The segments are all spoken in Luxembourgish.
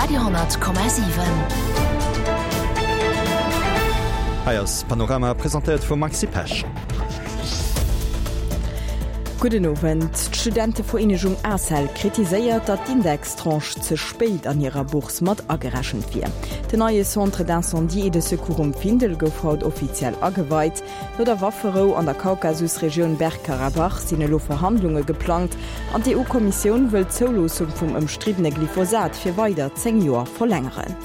Radio 10,7. Hei ass Panorama, presentéiert vum Maxi Pesch. Gudden Owend. D'Studentevereenegung ACEL kritiséiert, datt d'Indextranche ze spéit an hirer Bourse mat agerechent wier. Den neie Centre d'incendie et de secours um Findel gouf haut offiziell ageweit. No der Wafferou an der Kaukasusregioun Bergkarabach sinn elo Verhandlunge geplangt an d'EU-Kommissioun wëll d'Zouloossung vum ëmstriddene Glyphosat fir weider 10 Joer verlängeren.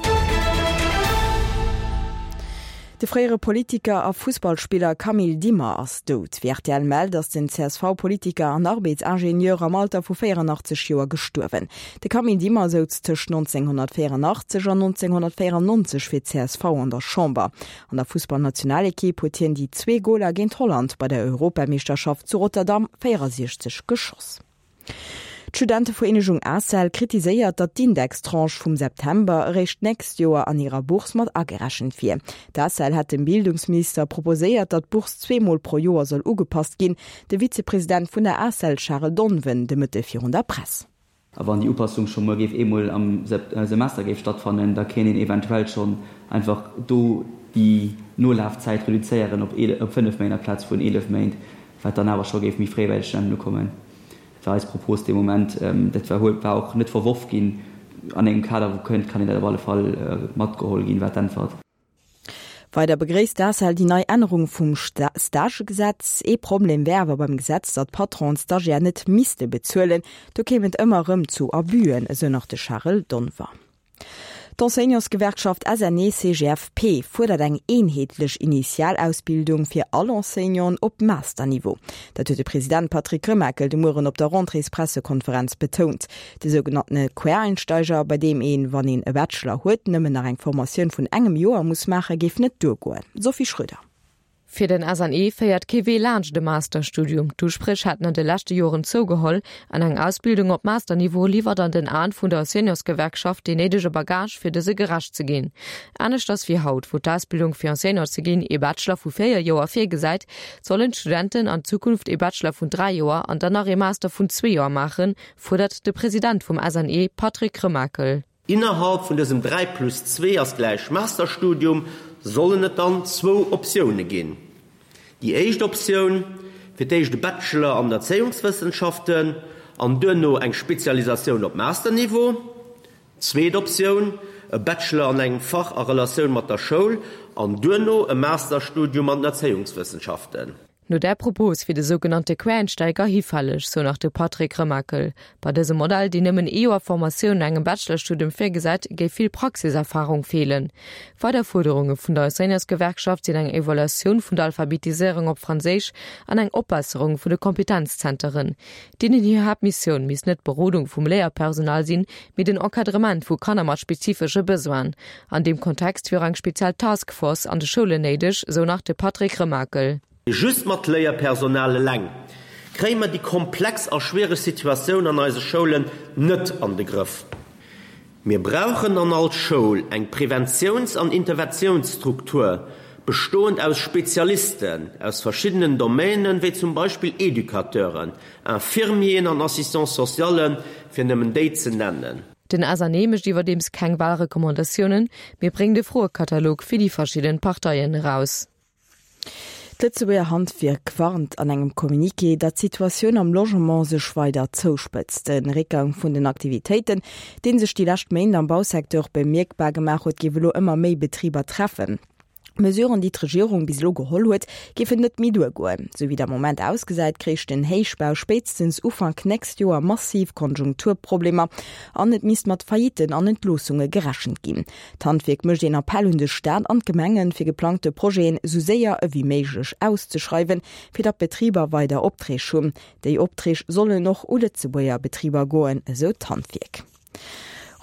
De fréiere Politiker a Fussballspiller Camille Dimmer ass dout. Wéi rtl mellt, ass den CSV-Politiker an Arbeetsingenieur am Alter vu 84 Joer gestuerwen. De Camille Dimmer souz tëscht 1984 an 1994 fir d'CSV an der Chamber. An der Fussballnationalekipp huet hien déi zwee Goler géint Holland bei der Europameeschterschaft zu Rotterdam 64 geschoss. D'Studentevereenegung ACEL kritiséiert, datt d'Indextranche vum September eréischt d'nächst Joer an hirer Bourse mat agerechent wier. D'ACEL hätt dem Bildungsminister proposéiert, datt d'Bourse zweemol pro Joer soll ugepasst ginn. De Vizepresident vun der ACEL Charel Donven de Mëtte virun der Press. A wann déi Upassung scho mol géif eemol am Semester géif stattfannen, da kéint een eventuell schonn einfach do déi Nolafzäit reduzéieren op 5 Méint amplaz vun 11 Méint, wat dann awer scho géif méi fréi bei de Studenten ukommen. Dat war eis Propos dee Moment. Dat war war och net verworf ginn. An engem Kader wou kënnt, kann een dat op alle Fall matgeholl ginn, war d'Äntwert. Weider begréisst d'ACEL déi nei Ännerung vum Stagegesetz. Ee Problem wär awer beim Gesetz, datt d'Patronen d'Stagiaire net misste bezuelen. Do kéim et ëmmer erëm zu Abusen, esou nach de Charel Donver. D'Enseignantsgewerkschaft SNE-CGFP fuerdert eng eenheetlech Initialausbildung fir all Enseignanten op Masterniveau. Dat huet de President Patrick Remakel de Mueren op der Rentréespressekonferenz betount. De sougenanntene Quereinsteiger, bei deem een, wann een e Bachelor huet, nëmmen nach eng Formatioun vun engem Joer muss maachen, géif net duergoen. Sophie Schröder. Fir den SNE féiert kee Wee laanscht e Masterstudium. D'Uspréch hätten an de leschte Joren zougeholl an eng Ausbildung op Masterniveau liwwert an den Aen vun der Seniorsgewerkschaft deen néidege Bagage fir dëse gerecht ze ginn. Aneschters wéi haut, wou d'Ausbildung fir Enseignant ze ginn ee Bachelor vu 4 Joer virgesäit, sollen d'Studenten an Zukunft ee Bachelor vun 3 Joer an dann nach ee Master vun zwee Joer maachen, fuerdert de President vum SNE Patrick Remakel. Innerhalb vun dësem 3 plus 2 ass gläich Masterstudium sollen et dann zwou Optioune ginn. Déi éischt Optioun, fir d'éischt e Bachelor an den Erzéiungswëssenschaften an duerno eng Spezialisatioun op Masterniveau. Zweet Optioun, e Bachelor an engem Fach a Relatioun mat der Schoul an duerno e Masterstudium an den Erzéiungswëssenschaften. No där Propos wier de sougenannte Quereinsteiger hifälleg, sou nach de Patrick Remakel. Bei dësem Modell, deen nëmmen ee Joer Formatioun no engem Bachelorstudium virgesäit, géif vill Praxiserfarung feelen. Weider Fuerderunge vun der Enseignantsgewerkschaft sinn eng Evaluatioun vun der Alphabetiséierung op Franséisch an eng Opbesserung vun de Kompetenzzenteren. Deenen hir Haaptmissioun misst net d'Berodung vum Léierpersonal sinn, mee den Encadrement vu Kanner mat spezifesche Besoinen. An deem Kontext wier och eng speziell Task Force an de Schoulen néideg, sou nach de Patrick Remakel. Just mat Léierpersonal eleng kréie mer déi komplex a schwiereg Situatioun an eise Schoulen net an de Grëff. Mir brauchen an all Schoul eng Preventiouns an Interventiounsstruktur, bestoend aus Spezialisten aus verschiddenen Domainen, wéi zum Beispill Educateuren, Infirmieren an Assistants socialen, fir nëmmen déi ze nennen. Den SNE mécht iwwerdeems keng Walrecommandatiounen, mee bréngt e Froekatalog fir déi verschidden Parteien eraus. D'Lëtzebuerger Handwierk warnt an engem Communiqué, datt d'Situatioun am Logement sech weider zouspëtzt. De Réckgang vun den Aktivitéiten, dee sech déi lescht Méint am Bausecteur bemierkbar gemaach huet, géif elo ëmmer méi Betriber treffen. D'Mesuren, déi d'Regierung bis elo geholl huet, géifen net méi duergoen. Sou wéi et am Moment ausgesäit, kréich den Héichbau spéitstens Ufank nächst Joer massiv Konjunkturproblemer an et misst mat Faillitten an Entloossunge gerechent ginn. D'Handwierk mécht een Appell un de Staat an d'Gemengen, fir geplangte Projeten esou séier ewéi méiglech auszeschreiwen, fir datt d'Betriber weider Opträg hunn. Déi Opträg sollen och u Lëtzebuerger Betriber goen, esou d'Handwierk.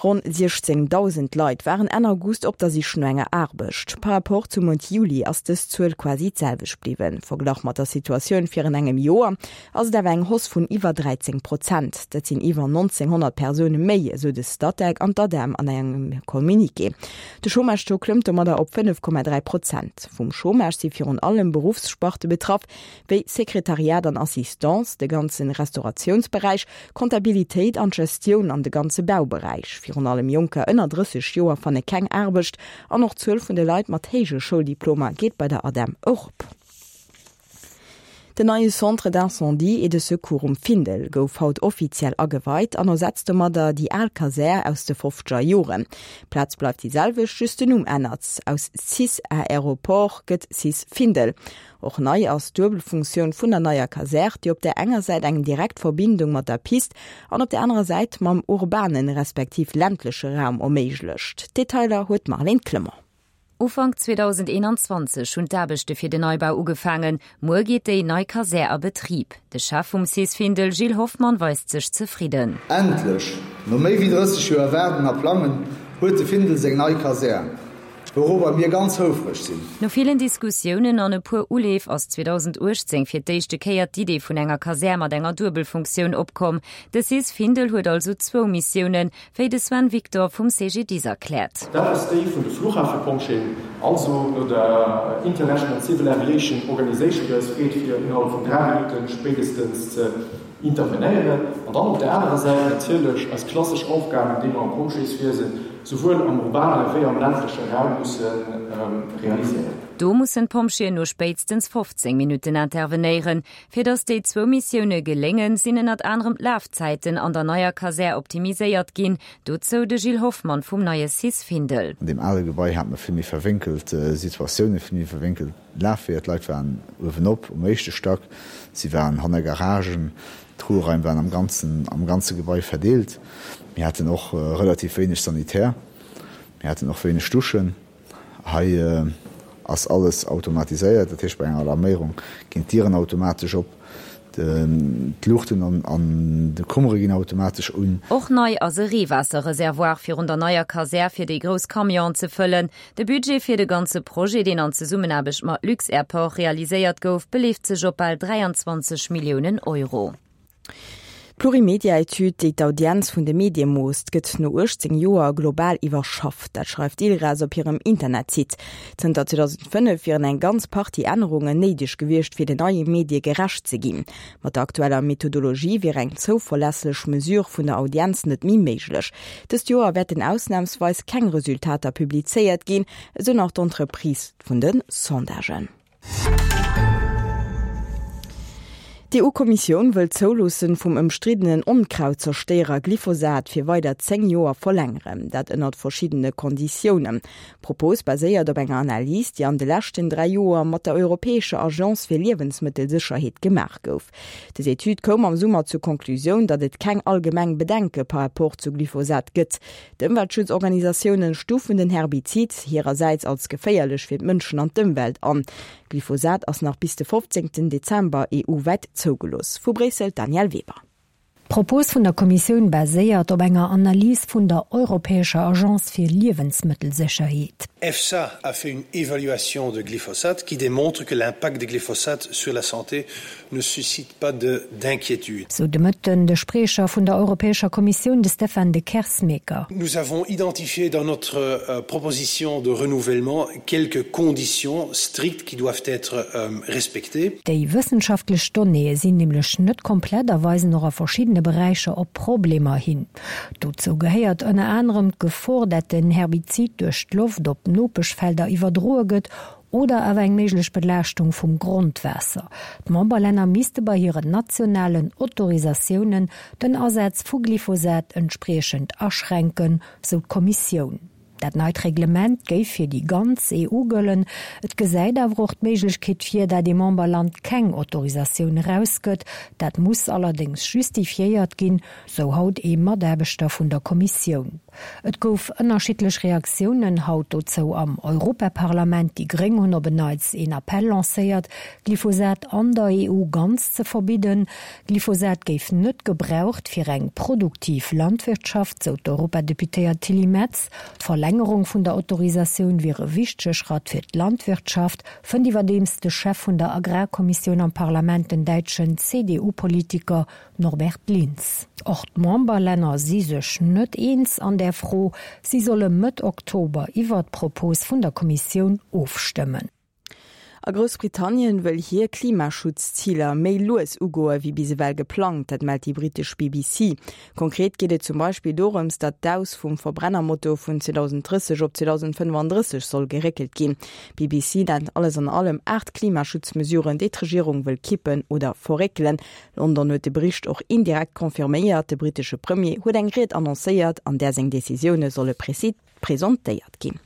Ronn 16.000 Leit waren Enn August op der Sich no enger Aarbecht. Par Rapport zum Mount Juli ass dës Zuel quasi d'selwecht bliwwen. Verglach mat der Situatioun virun engem Joer ass et awer eng Hausse vun iwwer 13 Prozent. Dat sinn iwwer 1.900 Persoune méi, esou de Statec an d'ADEM an engem Communiqué. De Chômage-Taux klëmmt domadder op 5,3 Prozent. Vum Chômage si virun allem Beruffssparte betraff, wéi Sekretariat an Assistance, de ganze Restauratiounsberäich, Comptabilitéit an d'Gestioun an de ganze Bauberäich. Virun allem Jonker ënner 30 Joer fanne keng Aarbecht an och d'Zuel vun de Leit mat héije Schouldiplomer geet bei der ADEM erop. Den neie Centre d'incendie et de secours um Findel gouf haut offiziell ageweit an ersetzt domadder déi al Kasär aus de fofzeger Joren. D'Plaz bleift déi selwecht, just den Numm ännert, Aus cis Aéroport gëtt cis Findel. Och nei ass d'Duebelfunktioun vun der neier Kasär, déi op där enger Säit eng direkt Verbindung mat der Pist an op der anerer Säit mam urbanen, respektiv ländleche Raum erméiglecht. D'Detailer huet d'Marlène Clement. Ufank 2021 hunn d'Aarbechte fir den Neibau ugefaangen. Muer geet déi nei Kasär a Betrib. De Chef vum cis Findel, Gilles Hoffmann, weist sech zefridden. Endlech, no méi wéi 30 Joer Waarden a Plangen, huet de Findel seng nei Kasär, wourober mir ganz houfreg sinn. No villen Diskussiounen an e puer Uleef ass 2018 fir d'éischte Kéier d'Idee vun enger Kasär mat enger Duebelfunktioun opkomm. De cis Findel huet also zwou Missiounen, Wéi de Sven Victor vum CGDIS erkläert. Dat ass déi vun de Fluchhafepompjeeën, also no der International Civil Aviation Organization, déi eis freet, fir innerhalb vun 3 Minutte spéidestens ze intervenéieren. An dann op där anerer Säit natierlech eis klassesch Aufgaben, déi mer am Pompjeeswiesen souwuel am urbane wéi am ländleche Raum musse realiséieren. Do mussen d'Pompjeeën no spéitstens 15 Minutten intervenéieren. Fir datt déi zwou Missioune geléngen, sinn ënnert anerem d'Lafzäiten an der neier Kasär optimiséiert ginn. Dozou de Gilles Hoffmann vum neie Cis Findel. An deem ale Gebai hate mer vill méi verwénkelt Situatiounen, vill méi verwénkelt Lafweeër. D'Leit waren uewenop um éischte Stack, si waren hanner Garagen, d'Ruheraim waren am ganzen, am ganze Gebai verdeelt. Mir haten och relativ wéineg Sanitär, mir haten och wéineg Duschen. Hei ass alles automatiséiert, dat heescht bei enger Alarméierung ginn d'Dieren automatesch op, d'Luuchten an de Kummere ginn automatesch un. Och nei ass e Reewaasserreservoir virun der neier Kasär fir déi grouss Camionen ze fëllen. De Budget fir de ganze Projet, deen an Zesummenaarbecht mat Luxairport realiséiert gouf, beleeft sech op bal 23 Milliounen Euro. D'Plurimedia-Etüd, déi d'Audienz vun de Medie moosst, gëtt no 18 Joer global iwwerschafft. Dat schreift d'ILRAS op hirem Internetsite. Zënter 2005 wieren eng ganz Partie Ännerungen néideg gewiescht, fir den neie Medie gerecht ze ginn. Mat der aktueller Methodologie wier eng zouverlässlech Mesure vun der Audienz net méi méiglech. Dëst Joer wäerten ausnamsweis keng Resultater publizéiert ginn, esou nach d'Entreprise vun de Sondagen. D'EU-Kommissioun wëll d'Zouloosse vum ëmstriddenen Onkrautzerstéierer Glyphosat fir weider 10 Joer verlängeren. Dat ënnert verschiddene Konditiounen. D'Propos baséiert op enger Analys, déi an de leschten 3 Joer mat der europäescher Agence fir Liewensmëttelsécherheet gemaach gouf. Des Etüd koum am Summer zur Konklusioun, datt et keng allgemeng Bedenke par rapport zu Glyphosat gëtt. D'Ëmweltschutzorganisatioune stufen den Herbizid hirersäits als geféierlech fir d'Mënschen an d'Ëmwelt an. Glyphosat ass nach bis de 15 Dezember EU-wäit zougelooss. Vu Bréissel d'Danièle Weber. D'Propos vun der Kommissioun baséiert op enger Analys vun der europäescher Agence fir Liewensmëttelsécherheet. EFSA a fait une évaluation de glyphosate qui démontre que l'impact de glyphosate sur la santé ne suscite pas de d'inquiétude. Sou de Mëtten de Spriecher vun der Europäescher Kommissioun, de Stefan de Kersmaeker. Nous avons identifié dans notre euh, proposition de renouvellement quelques conditions strictes qui doivent être euh, respectées. Déi wëssenschaftlech Donnéeë sinn nämlech net komplett a weisen och a verschiddene Beräicher op Problemer hin. Dozou gehéiert ënner anerem d'Gefor, dat den Herbizid duerch d'Loft op Nopeschfelder iwwerdroe gëtt oder awer eng méiglech Belaaschtung vum Grondwaasser. D'Memberlänner misste bei hiren nationalen Autorisatiounen den Asaz vu Glyphosat entspriechend aschränken, sou d'Kommissioun. Dat neit Reglement géif fir déi ganz EU gëllen. Et gesäit awer och d'Méiglechkeet vir, dat ee Memberland keng Autorisatioun erausgëtt. Dat muss allerdéngs justifiéiert ginn, sou haut ee Mataarbechter vun der Kommissioun. Et gouf ënnerschiddlech Reaktiounen haut dozou am Europaparlament. Déi Gréng hunn op en Neits een Appell lancéiert, Glyphosat an der EU ganz ze verbidden. Glyphosat géif net gebraucht fir eng produktiv Landwirtschaft, sou d'Europadeputéiert Tilly Metz. D'Verlängerung vun der Autorisatioun wier e wichtege Schratt fir d'Landwirtschaft, fënnt iwwerdeems de Chef vun der Agrarkommissioun am Parlament, den däitschen CDU-Politiker Norbert Lins. Och d'Memberlänner si sech net eens an där Fro. Si solle Mëtt Oktober iwwert d'Propos vun der Kommissioun ofstëmmen. A Groussbritannien wëll hir Klimaschutzziler méi lues ugoe wéi bis ewell geplangt, dat mellt déi brittesch BBC. Konkret geet et zum Beispill dorëms, datt d'Aus vum Verbrennermotor vun 2030 op 2035 soll geréckelt ginn. D'BBC nennt alles an allem 8 Klimaschutzmesuren, déi d'Regierung wëll kippen oder verréckelen. London huet de Bericht och indirekt confirméiert. De brittesche Premier huet eng Ried annoncéiert, an där seng Decisioune solle presentéiert ginn.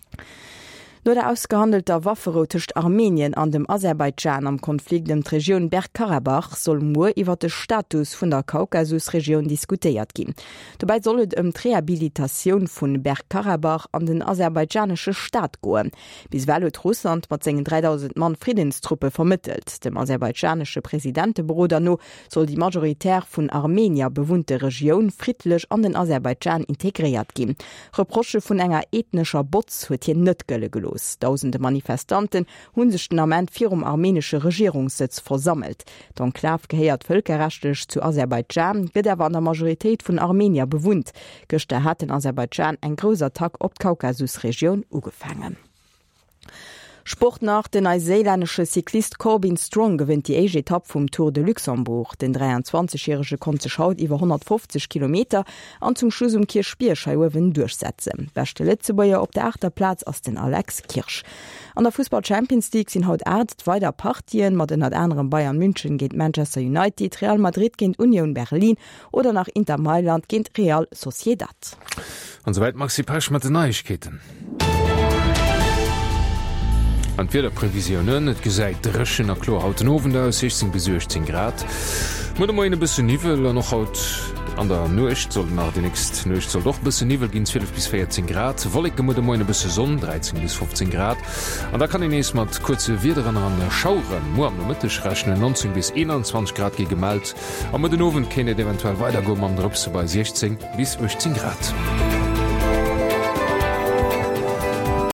No der ausgehandelter Wafferou tëscht Armenien an dem Aserbaidschan am Konflikt ëm d'Regioun Bergkarabach soll muer iwwer de Status vun der Kaukasusregioun diskutéiert ginn. Dobäi soll et ëm d'Rehabilitatioun vu Bergkarabach an den aserbaidschanesche Staat goen. Bis ewell huet Russland mat sengen 3.000 Mann Friddenstruppe vermëttelt. Dem aserbaidschanesche Presidenteberoder no soll déi majoritär vun Armenier bewunnte Regioun friddlech an den Aserbaidschan integréiert ginn. Reprochë vun enger ethnescher Botz huet hien net gëlle gelooss. Dausende Manifestanten hu sech den Ament virum armenesche Regierungssëtz versammelt. D'Enklav gehéiert vëlkerrechtlech zu Aserbaidschan, gëtt awer an der Majoritéit vun Armenier bewunnt. Gëschter hat den Aserbaidschan eng grouss Attack op d'Kaukasusregioun ugefaangen. Sport nach, Den neiséilännesche Cyclist Corbin Strong gewënnt déi éischt Etapp vum Tour de Luxembourg. Den 23 järege konnt sech haut iwwer 150 Kilometer an zum Schluss um Kierchbierg hei uewen duerchsetzen. Beschte Lëtzebuerger op der aachter Plaz ass den Alex Kirsch. An der Fussball-Champions League sinn haut 8 weider Partien, mat ënnert anerem Bayern München géint Manchester United, Real Madrid géint Union Berlin oder nach Inter Mailand géint Real Sociedad. An souwäit d'Maxi Pesch mat den Neiegkeeten. An d'Wiederprevisiounen, Et gesäit dréchen a kloer haut den Owend aus, 16 bis 18 Grad. Muer de Moien e bësse Niwwel an och haut an der Nuecht sollt nach, déi nächst Nuecht sollt och e bësse Niwwel ginn, 12 bis 14 Grad. Wolleke muer de Moien, e bësse Sonn, 13 bis 15 Grad. An da kann een nees mat kuerze Wiederen an Schauere muer am Nomëtteg rechnen, 19 bis 21 Grad gi gemellt. A muer den Owend kéint et eventuell weidergoe mam Drëpse bei 16 bis 18 Grad.